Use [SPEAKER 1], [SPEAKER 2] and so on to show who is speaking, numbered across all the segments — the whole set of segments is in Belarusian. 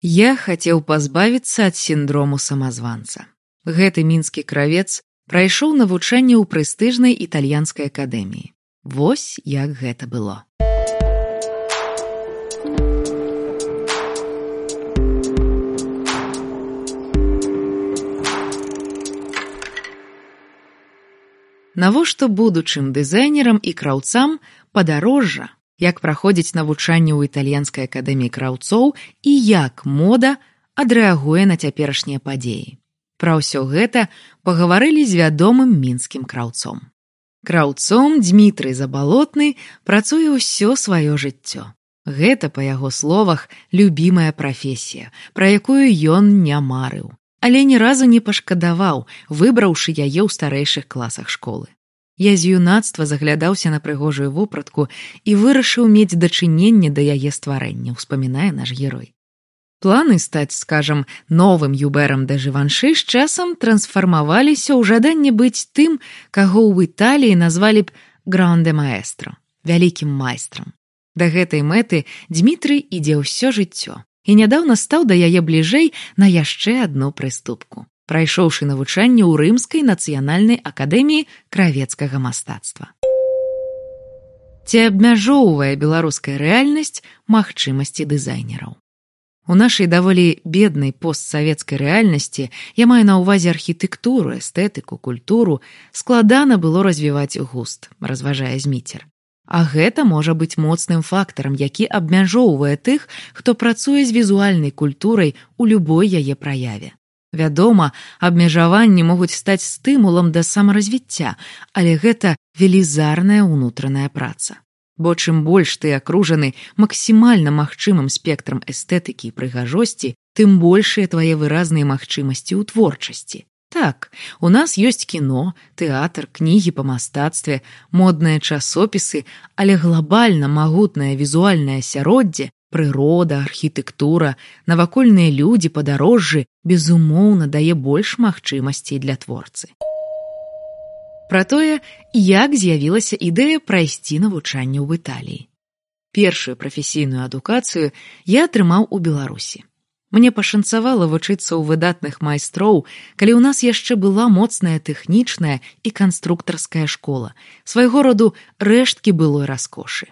[SPEAKER 1] Я хацеў пазбавіцца ад сіндрому самазванца. Гэты мінскі кравец прайшоў навучанне ў прэстыжнай італьянскай акадэміі. Вось як гэта было. Навошта будучым дызайнерам і краўцам падарожжа, як праходзіць навучанне ў італьянскай акадэміі краўцоў і як мода адрэагуе на цяперашнія падзеі. Пра ўсё гэта пагаварылі з вядомым мінскім краўцом. Краўцом Дзмітрый Забалотны працуе ўсё сваё жыццё. Гэта, па яго словах, любімая прафесія, пра якую ён не марыў, але ні разу не пашкадаваў, выбраўшы яе ў старэйшых класах школы. Я з юнацтва заглядаўся на прыгожую вопратку і вырашыў мець дачыненне да яе стварэння, успамінае наш герой. Планы стаць, скажам, новым Юберам де Живанши з часам трансфармаваліся ў жаданне быць тым, каго ў Італіі назвалі б «гранде маэстро» – вялікім майстрам. Да гэтай мэты Дзмітрый ідзе ўсё жыццё і нядаўна стаў да яе бліжэй на яшчэ адну прыступку, прайшоўшы навучанне ў Рымскай нацыянальнай акадэміі кравецкага мастацтва. Ці абмяжоўвае беларуская рэальнасць магчымасці дызайнераў? У нашай даволі беднай постсавецкай рэальнасці, я маю на ўвазе архітэктуру, эстэтыку, культуру, складана было развіваць густ, разважае Зміцер. А гэта можа быць моцным фактарам, які абмяжоўвае тых, хто працуе з візуальнай культурай у любой яе праяве. Вядома, абмежаванні могуць стаць стымулам да самаразвіцця, але гэта велізарная ўнутраная праца. Бо чым больш ты акружаны максімальна магчымым спектрам эстэтыкі і прыгажосці, тым большыя твае выразныя магчымасці ў творчасці. Так, у нас ёсць кіно, тэатр, кнігі па мастацтве, модныя часопісы, але глабальна магутнае візуальнае асяроддзе, прырода, архітэктура, навакольныя людзі, падарожжы, безумоўна, дае больш магчымасцей для творцы. Пра тое, як з'явілася ідэя прайсці навучанне ў Італіі. Першую прафесійную адукацыю я атрымаў у Беларусі. Мне пашанцавала вучыцца ў выдатных майстроў, калі ў нас яшчэ была моцная тэхнічная і канструктарская школа, свайго роду рэшткі былой раскошы.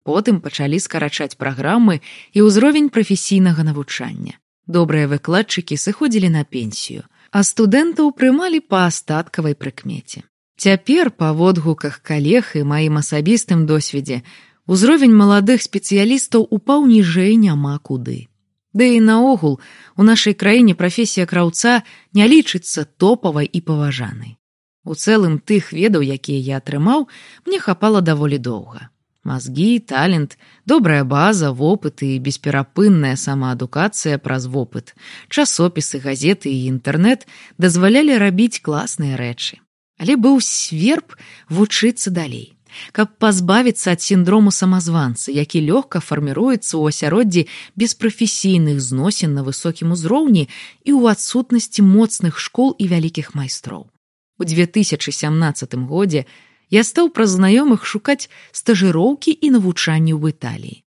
[SPEAKER 1] Потым пачалі скарачаць праграмы і ўзровень прафесійнага навучання. Добрыя выкладчыкі сыходзілі на пенсію, а студэнтаў прымалі па астаткавай прыкмеце. Цяпер, па водгуках калег і маім асабістым досведзе, узровень маладых спецыялістаў упаў ніжэй няма куды. Ды і наогул, у нашай краіне прафесія краўца не лічыцца топавай і паважанай. У цэлым тых ведаў, якія я атрымаў, мне хапала даволі доўга. Мазгі, талент, добрая база, вопыт і бесперапынная самаадукацыя праз вопыт, часопісы, газеты і інтэрнэт дазвалялі рабіць класныя рэчы. Але быў сверб вучыцца далей, каб пазбавіцца ад сіндрому самазванца, які лёгка фарміруецца ў асяроддзі беспрафесійных зносін на высокім узроўні і ў адсутнасці моцных школ і вялікіх майстроў. У 2017 годзе я стаў праз знаёмых шукаць стажыроўкі і навучанні ў Італіі.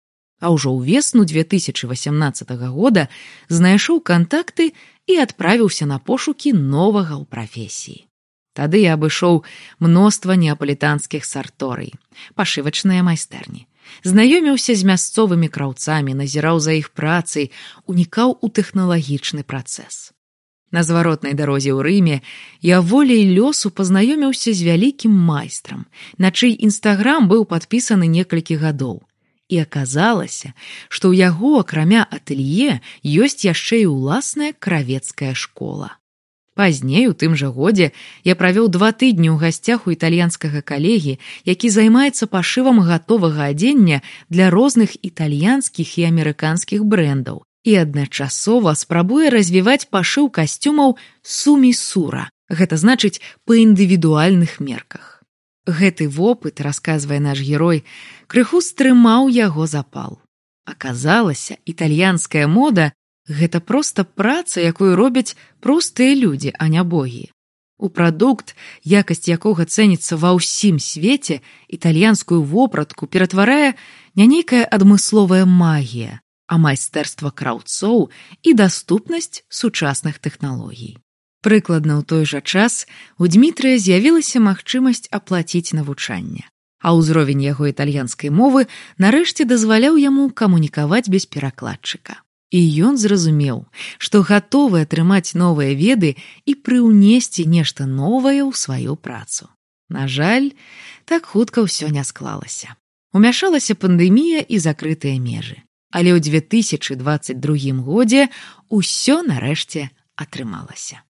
[SPEAKER 1] А ўжо ўвесну 2018 года знайшоў кантакты і адправіўся на пошукі новага ў прафесіі. Тады я абышоў мноства неапалітанскіх сарторый, пашывачныя майстэрні. Знаёміўся з мясцовымі краўцамі, назіраў за іх працай, унікаў у тэхналагічны працэс. На зваротнай дарозе ў Рыме я волей лёсу пазнаёміўся з вялікім майстрам, на чый інстаграм быў падпісаны некалькі гадоў. І аказалася, што ў яго, акрамя атэлье, ёсць яшчэ і ўласная кравецкая школа. Пазней, у тым жа годзе, я правёў 2 тыдні ў гасцях у італьянскага калегі, які займаецца пашывам гатовага адзення для розных італьянскіх і амерыканскіх брэндаў і адначасова спрабуе развіваць пашыў касцюмаў сумісура, гэта значыць па індывідуальных мерках. Гэты вопыт, расказвае наш герой, крыху стрымаў яго запал. Аказалася, італьянская мода гэта проста праца, якую робяць простыя людзі, а не богі. У прадукт, якасць якога цэніцца ва ўсім свеце, італьянскую вопратку ператварае не нейкая адмысловая магія, а майстэрства краўцоў і даступнасць сучасных тэхналогій. Прыкладна ў той жа час у Дмітрыя з'явілася магчымасць аплаціць навучанне, а ўзровень яго італьянскай мовы нарэшце дазваляў яму камунікаваць без перакладчыка. І ён зразумеў, што гатовы атрымаць новыя веды і прыўнесці нешта новае ў сваю працу. На жаль, так хутка ўсё не склалася. Умяшалася пандэмія і закрытыя межы. Але ў 2022 годзе ўсё нарэшце атрымалася.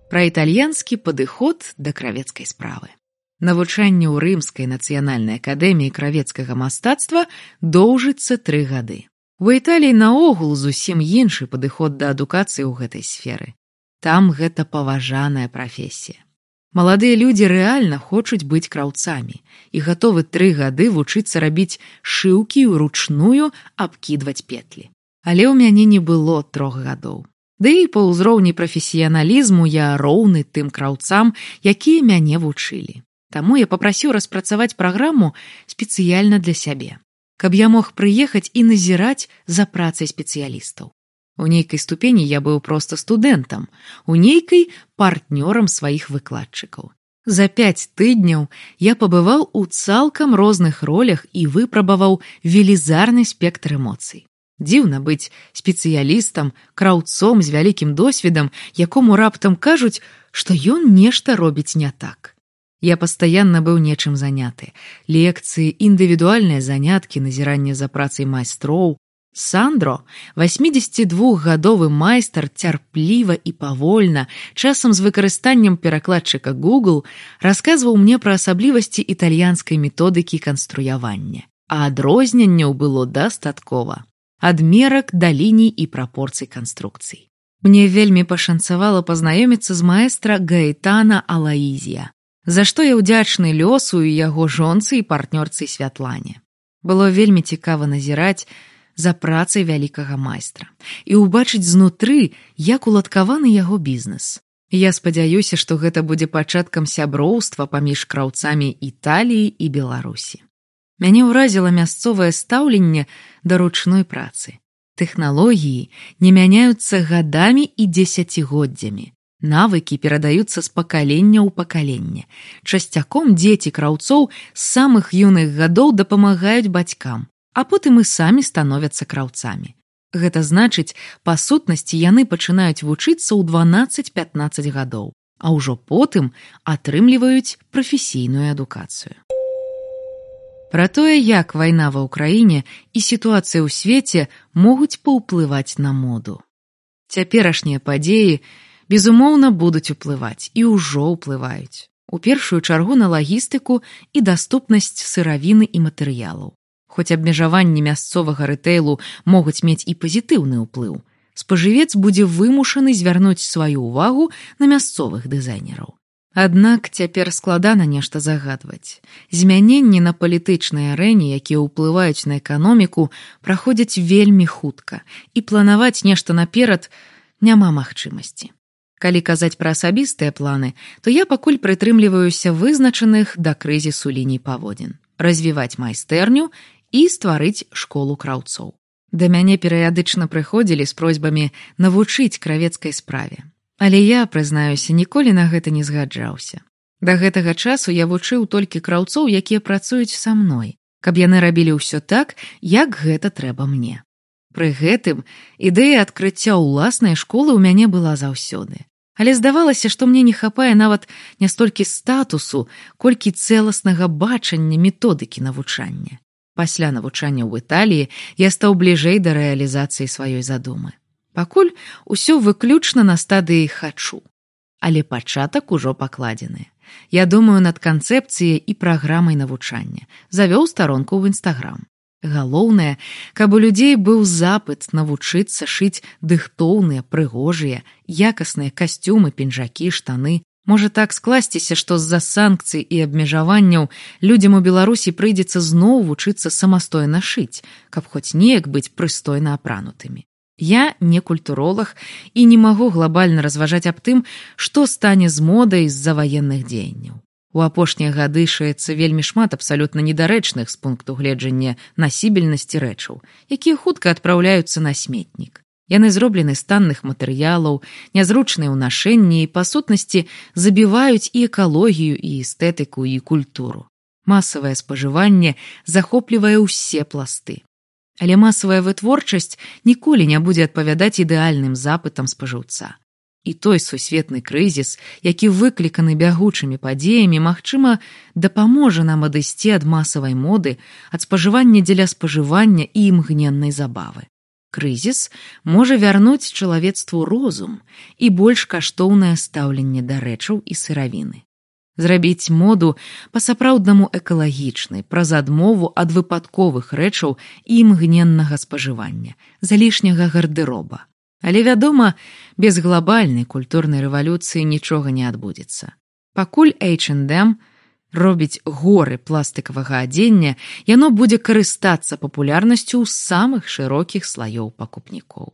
[SPEAKER 1] Пра італьянскі падыход да кравецкай справы. Навучанне ў Рымскай нацыянальнай акадэміі кравецкага мастацтва доўжыцца 3 гады. У Італіі наогул зусім іншы падыход да адукацыі ў гэтай сферы. Там гэта паважаная прафесія. Маладыя людзі рэальна хочуць быць краўцамі і гатовы 3 гады вучыцца рабіць шыўкі ўручную абкідваць петлі. Але ў мяне не было 3 гадоў. Ды і па ўзроўні прафесіяналізму я роўны тым краўцам, якія мяне вучылі. Таму я папрасіў распрацаваць праграму спецыяльна для сябе, каб я мог прыехаць і назіраць за працай спецыялістаў. У нейкай ступені я быў проста студэнтам, у нейкай партнёрам сваіх выкладчыкаў. За 5 тыдняў я пабываў у цалкам розных ролях і выпрабаваў велізарны спектр эмоцый. Дзіўна быць спецыялістам, краўцом з вялікім досведам, якому раптам кажуць, што ён нешта робіць не так. Я пастаянна быў нечым заняты. Лекцыі, індывідуальныя заняткі, назіранне за працай майстроў. Сандро, 82-гадовы майстар, цярпліва і павольна, часам з выкарыстаннем перакладчыка Google, расказваў мне пра асаблівасці італьянскай методыкі канструявання. А адрозненняў было дастаткова. Ад мерак да ліній і прапорцый канструкцый. Мне вельмі пашанцавала пазнаёміцца з маэстра Гаэтана Алаізія, за што я ўдзячны лёсу і яго жонцы і партнёрцы Святлане. Было вельмі цікава назіраць за працай вялікага майстра і ўбачыць знутры, як уладкаваны яго бізнес. Я спадзяюся, што гэта будзе пачаткам сяброўства паміж краўцамі Італіі і Беларусі. Мяне ўразіла мясцовае стаўленне да ручной працы. Тэхналогіі не мяняюцца гадамі і дзесяцігоддзямі. Навыкі перадаюцца з пакалення ў пакаленне. Часцяком дзеці краўцоў з самых юных гадоў дапамагаюць бацькам, а потым і самі становяцца краўцамі. Гэта значыць, па сутнасці яны пачынаюць вучыцца ў 12-15 гадоў, а ўжо потым атрымліваюць прафесійную адукацыю. Пра тое, як вайна ва ўкраіне і сітуацыя ў свеце могуць паўплываць на моду. Цяперашнія падзеі безумоўна, будуць уплываць і ўжо ўплываюць. У першую чаргу на лагістыку і даступнасць сыравіны і матэрыялаў. Хоць абмежаванні мясцовага рытэйлу могуць мець і пазітыўны ўплыў, спажывец будзе вымушаны звярнуць сваю ўвагу на мясцовых дызайнераў. Аднак цяпер складана нешта загадваць. Змяненні на палітычнай арэне, якія ўплываюць на эканоміку, праходзяць вельмі хутка, і планаваць нешта наперад няма магчымасці. Калі казаць пра асабістыя планы, то я пакуль прытрымліваюся вызначаных да крызісу ліній паводзін. Развіваць майстэрню і стварыць школу краўцоў. Да мяне перыядычна прыходзілі з просьбамі навучыць кравецкай справе. Але я, прызнаюся, ніколі на гэта не згаджаўся. Да гэтага часу я вучыў толькі краўцоў, якія працуюць са мной, каб яны рабілі ўсё так, як гэта трэба мне. Пры гэтым ідэя адкрыцця ўласнай школы ў мяне была заўсёды. Але здавалася, што мне не хапае нават не столькі статусу, колькі цэласнага бачання методыкі навучання. Пасля навучання ў Італіі я стаў бліжэй да рэалізацыі сваёй задумы. Пакуль усё выключна на стадыі «хачу». Але пачатак ужо пакладзены. Я думаю над канцэпцыяй і праграмай навучання. Завёў старонку ў Інстаграм. Галоўнае, каб у людзей быў запыт навучыцца шыць дыхтоўныя, прыгожыя, якасныя касцюмы, пінжакі, штаны. Можа так скласціся, што з-за санкцый і абмежаванняў людзям у Беларусі прыйдзецца зноў вучыцца самастойна шыць, каб хоць неяк быць прыстойна апранутымі. Я не культуролог і не магу глобальна разважаць аб тым, што стане з модай з-за ваенных дзеянняў. У апошнія гады шыецца вельмі шмат абсалютна недарэчных з пункту гледжання насібельнасці рэчаў, якія хутка адпраўляюцца на сметнік. Яны зроблены з танных матэрыялаў, нязручныя ў нашэнні і, па сутнасці, забіваюць і экалогію, і эстэтыку, і культуру. Масавае спажыванне захоплівае ўсе пласты. Але масавая вытворчасць ніколі не будзе адпавядаць ідэальным запытам спажыўца. І той сусветны крызіс, які выкліканы бягучымі падзеямі, магчыма, дапаможа нам адысці ад масавай моды, ад спажывання дзеля спажывання і імгненнай забавы. Крызіс можа вярнуць чалавецтву розум і больш каштоўнае стаўленне да рэчаў і сыравіны. Зрабіць моду па-сапраўднаму экалагічнай, праз адмову ад выпадковых рэчаў і імгненнага спажывання, залішняга гардэроба. Але, вядома, без глобальнай культурнай рэвалюцыі нічога не адбудзецца. Пакуль H&M робіць горы пластыкавага адзення, яно будзе карыстацца папулярнасцю ў самых шырокіх слаёў пакупнікоў.